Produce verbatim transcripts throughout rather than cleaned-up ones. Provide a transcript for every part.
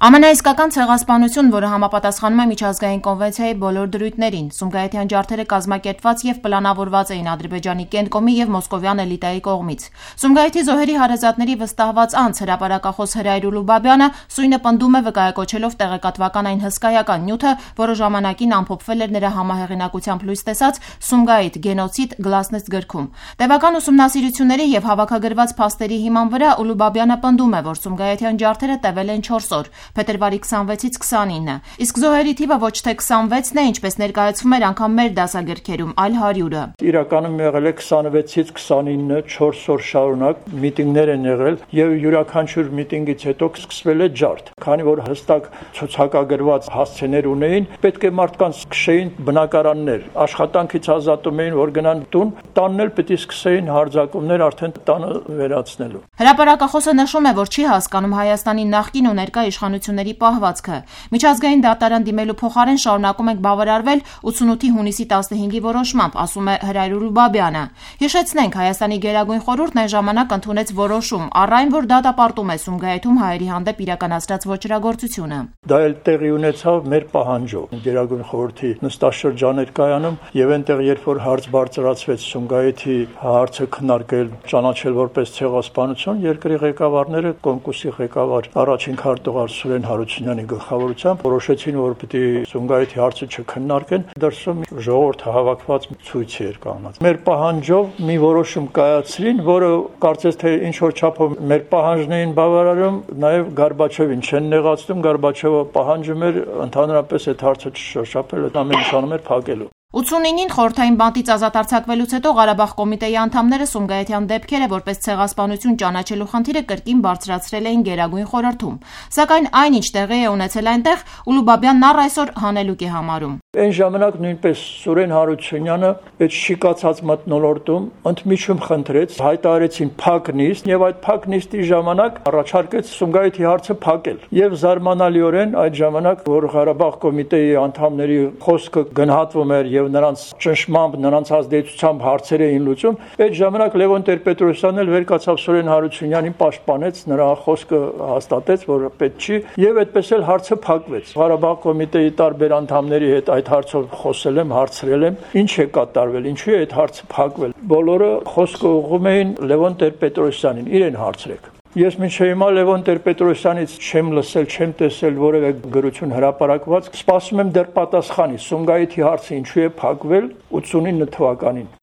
Ամենաիսկական ցեղասպանություն, որը համապատասխանում է միջազգային կոնվենցիայի բոլոր դրույթներին, Սումգայիթյան ջարդերը կազմակերպված եւ պլանավորված էին Ադրբեջանի Կենտկոմի եւ մոսկովյան էլիտայի կողմից։ Սումգայիթի զոհերի հարազատների վստահված անձ հրապարակախոս Հրայր Ուլուբաբյանը սույնը պնդում է վկայակոչելով տեղեկատվական այն հսկայական նյութը, որը ժամանակին ամփոփվել էր նրա համահեղինակությամբ լույս տեսած Սումգայիթ գենոցիդ գլասնեստ գրքում։ Տևական ուսումնասիրությունների եւ հավաքագրված փաստերի հիման վրա Ուլուբաբյանը պնդում է, որ Սումգայիթյան ջարդերը տևել են չորս օր, փետրվարի քսանվեցից քսանինը, իսկ զոհերի թիվը ոչ թե քսանվեցն է, ինչպես ներկայացվում էր անգամ մեր դասագրքերում, այլ հարյուրը։ Իրականում եղել է քսանվեցից քսանինը չորս օր շարունակ միտինգներ են եղել եւ յուրաքանչյուր միտինգից հետո սկսվել է ջարդ։ Քանի որ հստակ ցուցակագրված հասցեներ ունեին, պետք է մարդկանց քշեին բնակարաններ, աշխատանքից ազատում էին, որ գնան տուն, տանն էլ պետք է սկսեին հարձակումներ արդեն տանը վերացնելու։ Հրապարակախոսը նշում է, որ չի հասկանում Հայաստանի նախկին ու ներկա իշխանությունների պահվածքը։ Միջազգային դատարան դիմելու փոխարեն շարունակում ենք բավարարվել ութսունութի հունիսի տասնհինգի որոշմամբ, ասում է Հրայր Ուլուբաբյանը։ Հիշեցնենք, Հայաստանի Գերագույն խորհուրդն այն ժամանակ ընդունեց որոշում, առ այն, որ դատապարտում է Սումգայիթում հայերի հանդեպ իրականացրած ոճրագործությունը։ Դա էլ տեղի ունեցավ մեր պահանջով։ Գերագույն խորհրդի նստաշրջան էր կայանում եւ այնտեղ, երբ որ հարց բարձրացվեց Սումգայիթի հարցը քննարկել, ճանաչել որպես ցեղասպանություն, երկրի ղեկավարները, Կոմկուսի ղեկավար առաջին քարտուղար Սուրեն Հարությունյանի գլխավորությամբ որոշեցին, որ պետք է Սումգայիթի հարցը չքննարկեն, դրսում ժողովուրդ հավաքված ցույց էր կանգնած։ Մեր պահանջով մի որոշում կայացրին, որը կարծես թե ինչ որ չափով մեր պահանջն էին բավարարում, նաև Գորբաչովին չեն նեղացնում, Գորբաչովը պահանջում էր ընդհանրապես այդ հարցը չշոշափել, ամեն ինչ անում էր փակելու։ ութսունինին խորհրդային բանտից ազատ արձակվելուց հետո Ղարաբաղ կոմիտեի անդամները Սումգայիթյան դեպքերը որպես ցեղասպանություն ճանաչելու խնդիրը կրկին բարձրացրել էին Գերագույն խորհրդում, սակայն այնինչ տեղի է ունեցել այնտեղ, Ուլուբաբյանն առ այսօր հանելուկ է համարում։ Այն ժամանակ նույնպես Սուրեն Հարությունյանը այդ շիկացած մթնոլորտում ընդմիջում խնդրեց, հայտարարեցին փակ նիստ եւ այդ փակ նիստի ժամանակ առաջարկեց Սումգայիթի հարցը փակել։ Եվ զարմանալիորեն այդ ժամանակ, որ Ղարաբաղ կոմիտեի անդամների խոսքը գնահատվում էր եւ նրանց ճնշմամբ, նրանց ազդեցությամբ հարցեր էին լուծում, այդ ժամանակ Լևոն Տեր-Պետրոսյանն էլ վեր կացավ Սուրեն Հարությունյանին պաշտպանեց, նրա խոսքը հաստատեց, որ պետք չի, եւ այդպես էլ հարցը փակվեց։ Ղարաբաղ կոմիտեի տարբեր անդամների հետ այդ հարցով խոսել եմ, հարցրել եմ, ինչ է կատարվել, ինչու է այդ հարցը փակվել։ Բոլորը խոսքը ուղղում էին Լևոն Տեր-Պետրոսյանին, իրեն հարցրեք։ Ես մինչև հիմա Լևոն Տեր-Պետրոսյանից չեմ լսել, չեմ տեսել որևէ գրություն հրապարակված, սպասում եմ դեռ պատասխանի Սումգայիթի հարցը ինչու է փակվել ութսունինը թվականին։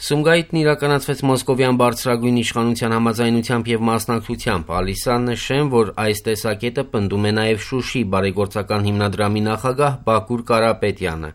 Սումգայիթն իրականացվեց մոսկովյան բարձրագույն իշխանության համաձայնությամբ եւ մասնակցությամբ։ Ալիսան նշեն, որ այս տեսակետը պնդում է նաեւ Շուշի բարեգործական հիմնադրամի նախագահ Բակուր Կարապետյանը։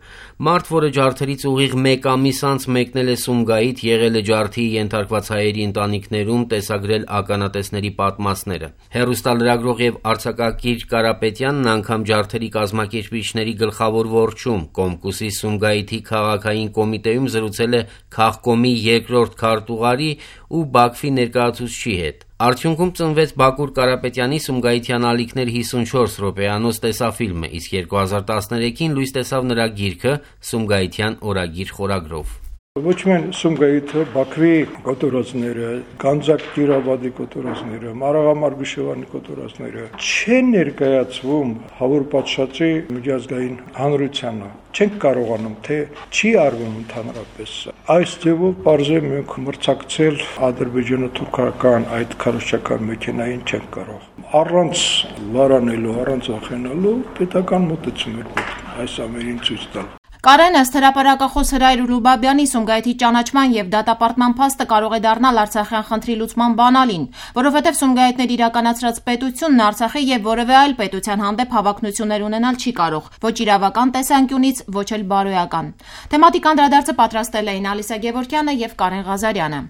Մարդ, որը ջարդերից ուղիղ մեկ ամիս անց մեկնել է Սումգայիթ, եղել է ջարդի ենթարկված հայերի ընտանիքներում, տեսագրել ականատեսների պատմածները։ Հեռուստալրագրող եւ արձակագիր Կարապետյանն անգամ ջարդերի կազմակերպիչների գլխավոր ворչում Կոմկուսի Սումգայիթի քաղաքային կոմիտեում զրուցել է քաղաքոմի երկրորդ քարտուղարի ու Բաքվի ներկայացուցչի հետ։ Արդյունքում ծնվեց Բակուր Կարապետյանի Սումգայիթյան ալիքներ հիսունչորս րոպեանոց տեսաֆիլմը, իսկ երկու հազար տասներեքին լույս տեսավ նրա գիրքը Սումգայիթյան օրագիր խորագրով։ Ոչ միայն Սումգայիթը, Բաքվի կոտորածները, Գանձակ Կիրավադի կոտորածները, Մարաղամարգուշևանի կոտորածները չեն ներկայացվում հավուր պատշաճի միջազգային հանրությանը։ Չենք կարողանում, թե չի արվում ընդհանրապես։ Այս ձևով բարձր մենք մրցակցել ադրբեջանա-թուրքական այդ քարոզչական մեքենային չենք կարող։ Առանց լարանելու, առանց վախենալու պետական մոտեցում էր պետք այս ամենին ցույց տալ։ Կարեն ըստ հրապարակախոս Հրայր Ուլուբաբյանի Սումգայիթի ճանաչման եւ դատապարտման փաստը կարող է դառնալ Արցախյան խնդրի լուծման բանալին, որովհետեւ Սումգայիթներ իրականացրած պետությունն Արցախի եւ որևէ այլ պետության հանդեպ հավակնություններ ունենալ չի կարող, ոչ իրավական տեսանկյունից, ոչ էլ բարոյական։ Թեմատիկ անդրադարձը պատրաստել էին Ալիսա Գևորգյանը եւ Կարեն Ղազարյանը։